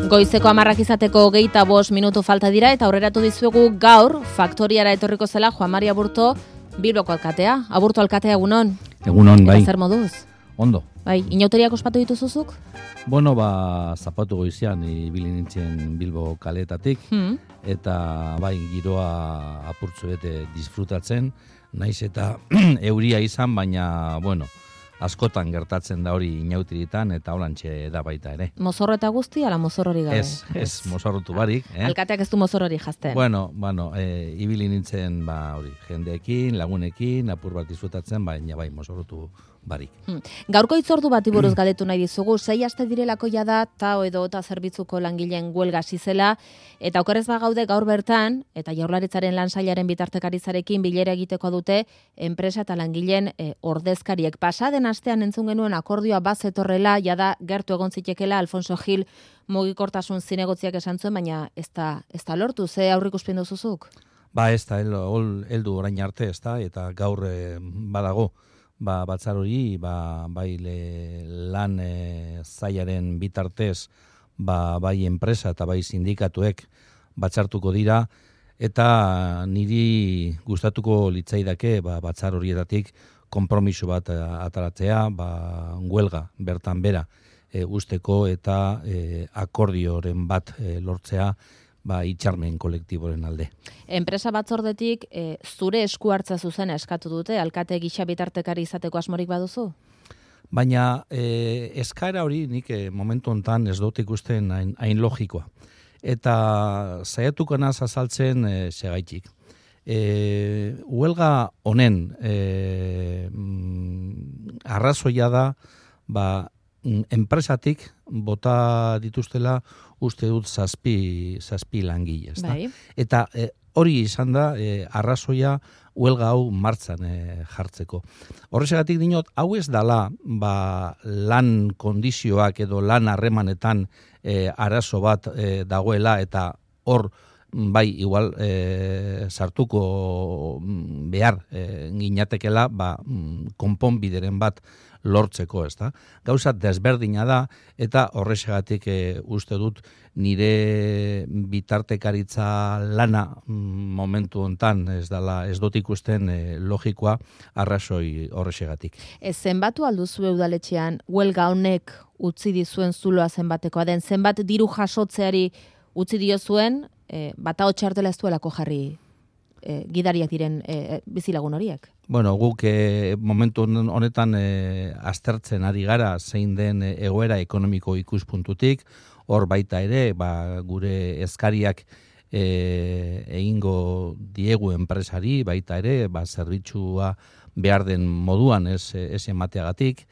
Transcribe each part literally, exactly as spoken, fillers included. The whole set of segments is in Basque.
Goizeko hamarrak izateko hogeita bost minutu falta dira eta aurreratu dizuegu gaur faktoriara etorriko zela Juan Mari Aburto Bilboko alkatea. Aburto alkatea egunon. Egunon, bai. Eta zer moduz? Ondo. Bai, inauteriak ospatu dituzuzuk? Bueno, ba, zapatu goizean ibili nintzen Bilbo kaleetatik, Hmm. eta bai, giroa apurtzu bete disfrutatzen, naiz eta euria izan, baina, bueno, askotan gertatzen da hori inautiritan, eta holantxe da baita ere. Mozorro eta guzti, ala mozorrori gabe? Ez, ez, mozorrotu barik. Eh? Alkateak ez du mozorrori jazten. Bueno, bueno, e, ibili nintzen, ba, hori, jendeekin, lagunekin, apur bat disfrutatzen, baina bai, mozorrotu barik. Hmm. Gaurko hitzordu bati buruz galetu nahi dizugu, sei aste direlako jada tao edo eta zerbitzuko langileen huelga hasi zela, eta okerrez bagaude gaur bertan, eta Jaurlaritzaren lansailaren bitartekaritzarekin bilera egiteko dute enpresa eta langileen e, ordezkariek. Pasaden astean entzun genuen akordioa bazetorrela, jada gertu egon zitekela Alfonso Gil mugikortasun zinegotziak esan zuen, baina ez da, ez da lortu, ze aurreikuspen duzuzuk? Ba, ez da, heldu orain arte, ez da, eta gaur e, badago. Ba, batzar hori, ba, bai le, lan e, zaiaren bitartez, ba, bai enpresa eta bai sindikatuek batzartuko dira, eta niri gustatuko litzaidake ba, batzar horietatik konpromiso bat ataratzea, ba, huelga bertan bera e, usteko eta e, akordioren bat e, lortzea, ba, itxarmen kolektiboren alde. Enpresa batzordetik e, zure esku hartza zuzena eskatu dute, alkate gisa bitartekari izateko asmorik baduzu? Baina e, eskaera hori nik e, momentu hontan ez dut ikusten hain, hain logikoa. Eta saiatuko naz azaltzen e, segaitik. E, huelga honen e, mm, arrazoia da ba, enpresatik bota dituztela uste dut zazpi, zazpi langile. Bai. Eta e, hori izan da e, arrazoia huelga hau martzan e, jartzeko. Horrexegatik dinot, hau ez dala ba, lan kondizioak edo lan harremanetan e, arazo bat e, dagoela eta hor bai, igual e, sartuko behar e, ginatekela ba, konponbideren bat lortzeko, ez da. Gauza desberdina da, eta horrexegatik e, uste dut nire bitartekaritza lana momentu hontan ez dala, ez dut ikusten e, logikoa arrazoi horrexegatik. Ez zenbatu alduzu udaletxean, huelga honek utzi dizuen zuloa zenbatekoa den, zenbat diru jasotzeari utzi dio zuen, e, bata hotxartela ez duelako jarri e, gidariak diren e, bizilagun horiek? Bueno, guk e, momentu honetan e, aztertzen ari gara zein den egoera ekonomiko ikuspuntutik, hor baita ere, ba, gure eskariak e, egingo diegu enpresari, baita ere, ba, zerbitzua behar den moduan ez, ez emateagatik,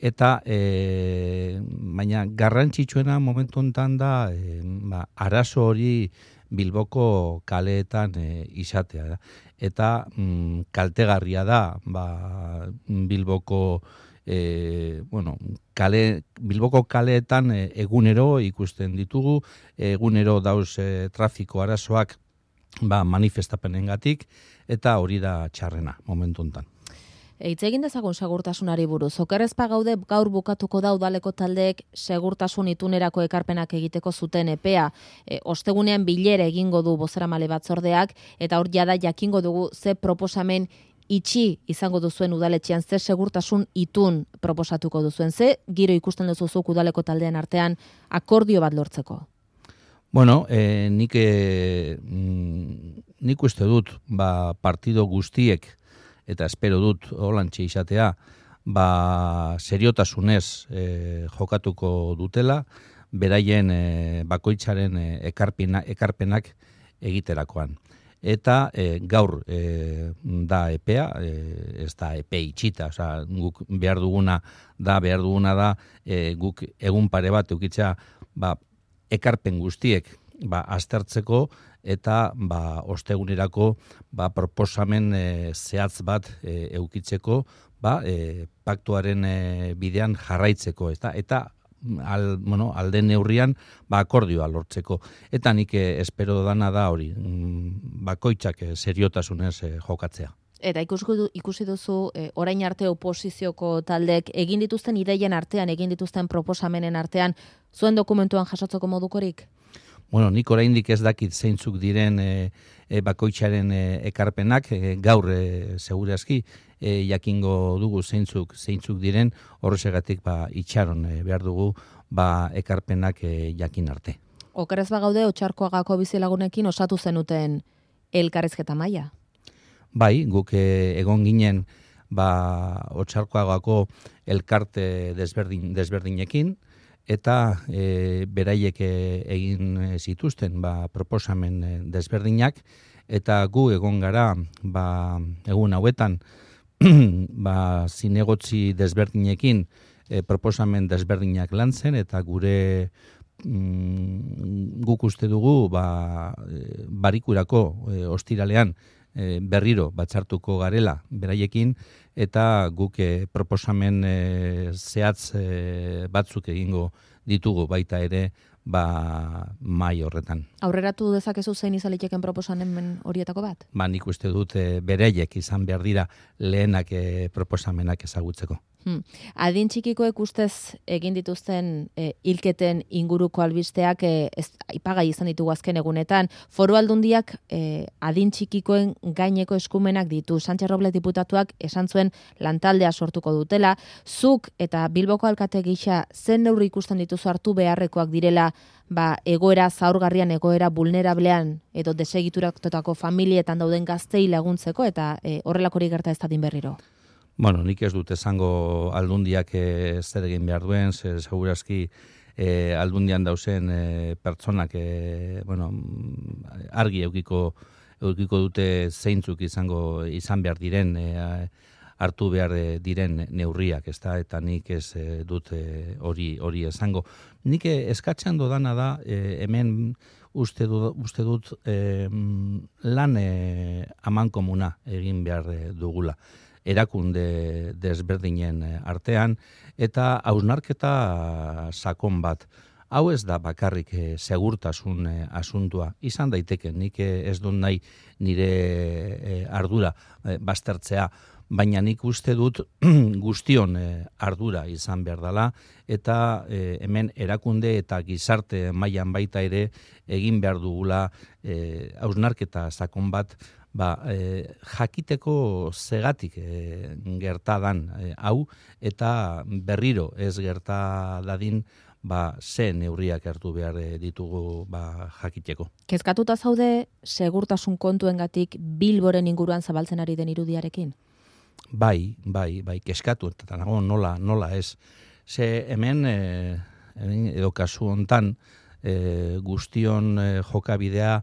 eta e, baina garrantzitsuena momentu honetan da e, ba, arazo hori Bilboko kaleetan e, izatea da. Eta mm, kaltegarria da ba, Bilboko e, bueno, kale, Bilboko kaleetan e, egunero ikusten ditugu, egunero dauz e, trafiko arazoak ba, manifestapenengatik, eta hori da txarrena momentu honetan. Hitz egin dezagun segurtasunari buruz. Okerrez gaude gaur bukatuko da udaleko taldeek segurtasun itunerako ekarpenak egiteko zuten epea. E, ostegunean bilera egingo du bozeramale batzordeak, eta hor jada jakingo dugu ze proposamen itxi izango duzuen udaletxean, ze segurtasun itun proposatuko duzuen, ze giro ikusten duzuzuk udaleko taldean artean akordio bat lortzeko. Bueno, eh, nik, eh, nik uste dut ba, partido guztiek eta espero dut holantxe izatea, ba, seriotasunez e, jokatuko dutela, beraien e, bakoitzaren e, ekarpena, ekarpenak egiterakoan. Eta e, gaur e, da epea, e, ez da epe itxita, oza, guk behar duguna da, behar duguna da, e, guk egun pare bat eukitzea, ba, ekarpen guztiek ba, aztertzeko, eta ba, ostegunerako ba, proposamen e, zehatz bat e, eukitzeko ba, e, paktuaren e, bidean jarraitzeko. Eta, eta al, bueno, alden neurrian ba, akordioa lortzeko. Eta nik e, espero dana da hori, bakoitzak e, seriotasunez e, jokatzea. Eta ikusi, ikusi duzu, e, orain arte oposizioko taldek egin dituzten ideien artean, egin dituzten proposamenen artean, zuen dokumentuan jasotzeko modukorik? Bueno, nik oraindik ez dakit zeintzuk diren e, e, bakoitzaren e, ekarpenak, e, gaur e, segurazki e, jakingo dugu zeintzuk zeintzuk diren, horregatik ba itxaron e, behar dugu ba ekarpenak e, jakin arte. Okerez bagaude Otxarkoagako bizilagunekin osatu zenuten elkarrizketa maila. Bai, guk e, egon ginen ba Otxarkoagako elkarte desberdin desberdinekin, eta e, beraiek egin zituzten ba, proposamen desberdinak, eta gu egon gara ba, egun hauetan ba, zinegotzi desberdinekin e, proposamen desberdinak lantzen, eta gure mm, guk uste dugu ba, barikurako e, ostiralean e, berriro batzartuko garela beraiekin, eta guk e, proposamen e, zehatz e, batzuk egingo ditugu baita ere ba mai horretan. Aurreratu dezakezu zein izaliteken proposamen horietako bat? Ba, nik uste dut e, beraiek izan behar dira lehenak e, proposamenak ezagutzeko. Hmm. Adin txikikoek ustez egin dituzten e, hilketen inguruko albisteak e, ez, aipagai izan ditugu azken egunetan. Foru Aldundiak e, adin txikikoen gaineko eskumenak ditu. Sánchez Robles diputatuak esan zuen lantaldea sortuko dutela. Zuk eta Bilboko alkate gisa zen neurri ikusten dituzu hartu beharrekoak direla ba, egoera zaurgarrian, egoera vulnerablean edo desegituratutako familietan dauden gaztei laguntzeko eta e, horrelakori gerta ez dadin berriro? Bueno, nik ez dut esango aldundiak e, zer egin behar duen, zer segurazki e, aldundian dauzen e, pertsonak e, bueno, argi eukiko, eukiko dute zeintzuk izango izan behar diren, e, hartu behar diren neurriak, ezta, eta nik ez e, dut hori e, hori esango. Nik e, eskatzen dodana da, e, hemen uste dut, uste dut e, lan e, amankomuna egin behar dugula erakunde desberdinen artean, eta hausnarketa sakon bat. Hau ez da bakarrik e, segurtasun e, asuntua. Izan daiteke, nik ez dut nahi nire e, ardura e, baztertzea, baina nik uste dut guztion e, ardura izan behar dela, eta e, hemen erakunde eta gizarte mailan baita ere egin behar dugula e, hausnarketa sakon bat, ba, e, jakiteko zegatik e, gertadan e, hau, eta berriro ez gerta dadin ba, ze neurriak hartu behar ditugu ba, jakiteko. Kezkatuta zaude segurtasun kontuengatik Bilboren inguruan zabaltzen ari den irudiarekin? Bai, bai, bai, kezkatu, eta nago nola, nola ez. Ze hemen, e, edo kasu hontan, e, guztion e, jokabidea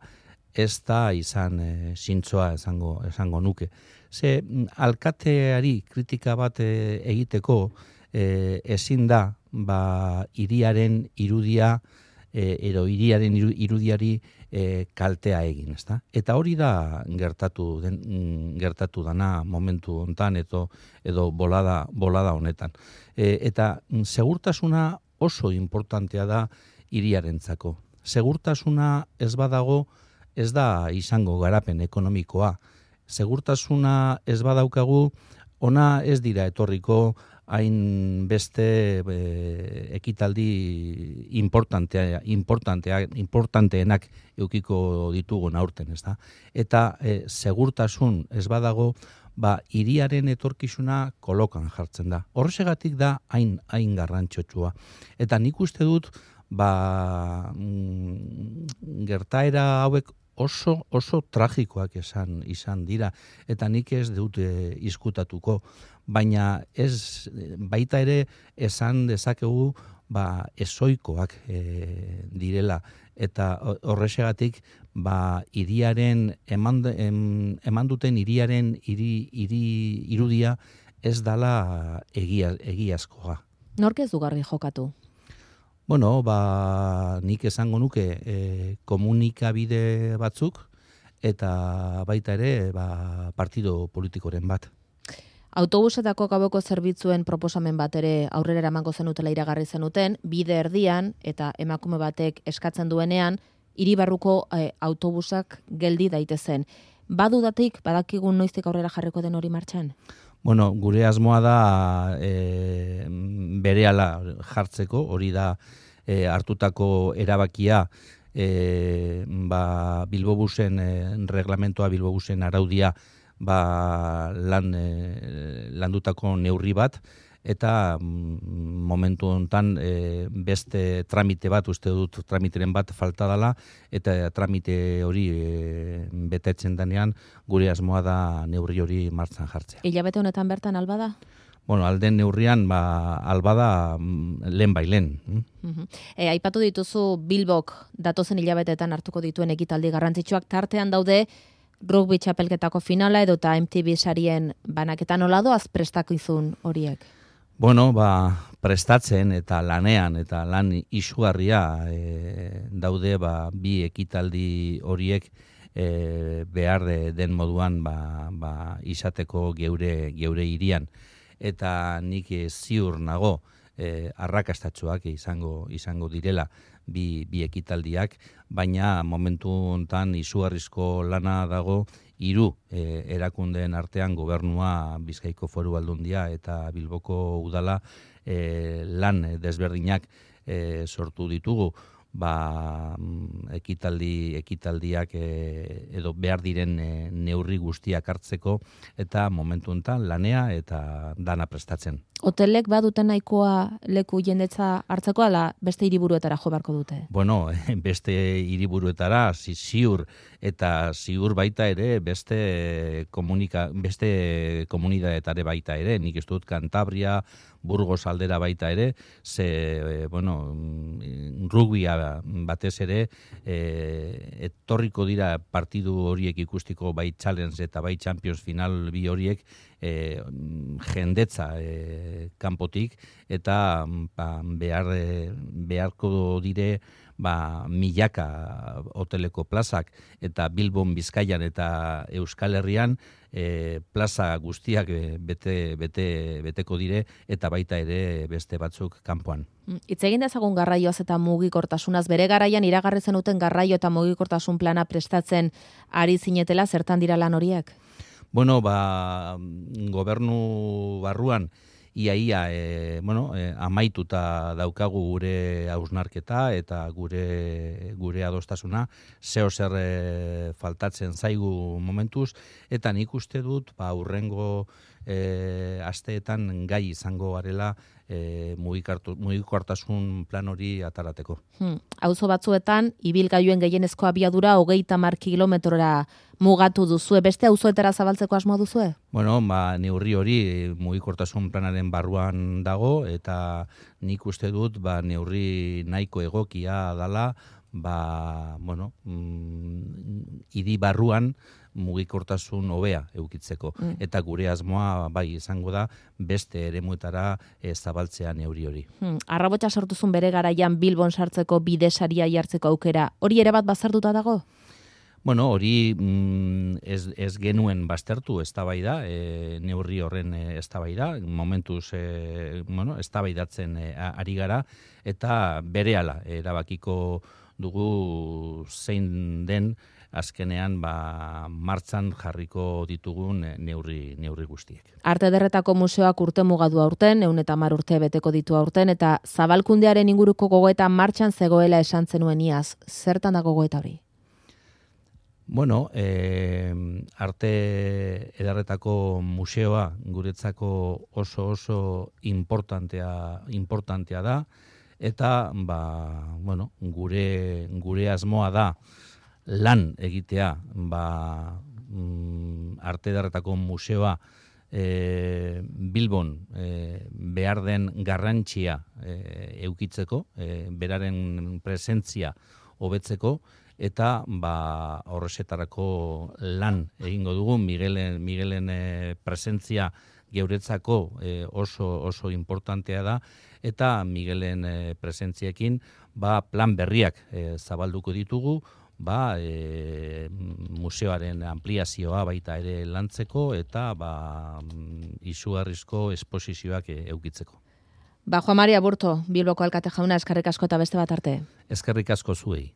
ez da izan e, zintzoa esango, esango nuke. Ze alkateari kritika bat e, egiteko e, ezin da ba, hiriaren irudia e, edo hiriaren irudiari e, kaltea egin, ezta? Eta hori da gertatu den, gertatu dana momentu hontan edo edo bolada bolada honetan. E, eta segurtasuna oso importantea da hiriarentzako. Segurtasuna ez badago ez da izango garapen ekonomikoa. Segurtasuna ez badaukagu, ona ez dira etorriko hain beste e, ekitaldi importantea, importantea, importanteenak eukiko ditugun aurten, ez da? Eta e, segurtasun ez badago, ba, hiriaren etorkizuna kolokan jartzen da. Horregatik da hain, hain garrantzitsua. Eta nik uste dut, ba, mm, gertaera hauek oso oso tragikoak esan izan dira, eta nik ez dut e, izkutatuko, baina ez baita ere esan dezakegu ba ezoikoak e, direla, eta horrexegatik ba hiriaren eman, em, eman duten hiriaren hiri hiri irudia ez dala egia egiazkoa. Nork ez dugarri jokatu? Bueno, ba, nik esango nuke e, komunikabide batzuk eta baita ere ba, partido politikoren bat. Autobusetako gaueko zerbitzuen proposamen bat ere aurrera eramango zenutela iragarri zenuten, bide erdian eta emakume batek eskatzen duenean, hiribarruko e, autobusak geldi daitezen. badudatik badakigun noiztik aurrera jarriko den hori martxan? Bueno, gure asmoa da e, berehala jartzeko, hori da e, hartutako erabakia e, ba, Bilbobusen e, reglamentoa, Bilbobusen araudia ba, lan, e, landutako neurri bat, eta momentu honetan e, beste tramite bat, uste dut tramiteren bat falta dela, eta tramite hori e, betetzen denean gure asmoa da neurri hori martzan jartzea. Hilabete honetan bertan alba da? Bueno, alden neurrian ba, alba da lehen bai lehen. Uh-huh. E, aipatu dituzu Bilbok datozen hilabetetan hartuko dituen ekitaldi garrantzitsuak, tartean daude rugby txapelketako finala edo eta M T V sarien banaketan. Nola doaz prestakizun horiek? Bueno, ba, prestatzen eta lanean eta lan izugarria e, daude ba, bi ekitaldi horiek e, behar de, den moduan ba, ba, izateko geure, geure hirian. Eta nik ziur nago e, arrakastatsuak izango, izango direla bi, bi ekitaldiak, baina momentu hontan izugarrizko lana dago hiru e, erakundeen artean gobernua, Bizkaiko Foru Aldundia eta Bilboko Udala e, lan desberdinak e, sortu ditugu. Ba, ekitaldi ekitaldiak e, edo behar diren e, neurri guztiak hartzeko eta momentu honetan lanea eta dana prestatzen. Hotelek baduten nahikoa leku jendetza hartzeko, ala beste hiriburuetara jo beharko dute? Bueno, beste hiriburuetara ziur eta ziur baita ere beste komunika beste komunitateetara baita ere, nik ez dut Kantabria, Burgos aldera baita ere, ze bueno, rugbia batez ere e, etorriko dira partidu horiek ikustiko bai Challenge eta bai Champions final bi horiek e, jendetza e, kanpotik eta ba, behar, beharko dire ba, milaka hoteleko plazak eta Bilbon, Bizkaian eta Euskal Herrian e, plaza guztiak bete, bete, beteko dire eta baita ere beste batzuk kanpoan. Hitz egin dezagun garraioaz eta mugikortasunaz, bere garaian iragarri zenuten garraio eta mugikortasun plana prestatzen ari zinetela, zertan dira lan horiek? Bueno, ba, gobernu barruan iaia e, bueno, e, amaituta daukagu gure hausnarketa eta gure gure adostasuna, zeo zer e, faltatzen zaigu momentuz, eta nik uste dut ba, urrengo e, asteetan gai izango garela e, mugikortasun plan hori atarateko. Hmm. Auzo batzuetan, ibilgailuen gehienezko abiadura hogeita hamar kilometrora mugatu duzue, beste auzoetara zabaltzeko asmoa duzue? Bueno, ba, neurri hori mugikortasun planaren barruan dago, eta nik uste dut ba, neurri nahiko egokia dala, ba, bueno, mm, hiri barruan mugikortasun hobea eukitzeko. Mm. Eta gure asmoa bai izango da beste eremuetara e, zabaltzea neurri hori. Hmm. Arrabotsa sortuzun bere garaian Bilbon sartzeko bidesaria jartzeko aukera, hori ere bat bazartuta dago? Bueno, hori mm, ez, ez genuen baztertu eztabaida, e, neurri horren eztabaida, momentuz e, bueno, eztabaidatzen e, ari gara, eta berehala erabakiko dugu zein den azkenean ba, martzan jarriko ditugun neurri, neurri guztiek. Arte Ederretako Museoak urte mugadu aurten, ehun eta hamar urte beteko ditu aurten, eta zabalkundearen inguruko gogoeta martxan zegoela esan zenuen iaz. Zertan da gogoeta hori? Bueno, eh, Arte Ederretako Museoa guretzako oso oso importantea, importantea da, eta ba, bueno, gure, gure asmoa da lan egitea ba, mm, Arte Ederretako Museoa e, Bilbon e, behar den garrantzia e, eukitzeko, e, beraren presentzia hobetzeko, eta ba, horrezetarako lan egingo dugu. Miguelen, Miguelen e, presentzia geuretzako e, oso, oso importantea da, eta Miguelen e, presentziekin ba, plan berriak e, zabalduko ditugu, ba, e, museoaren ampliazioa baita ere lantzeko eta ba, izugarrizko esposizioak e, eukitzeko. Ba, Juan Mari Aburto, Bilboko alkate jauna, eskerrik asko eta beste bat arte. Eskerrik asko zuei.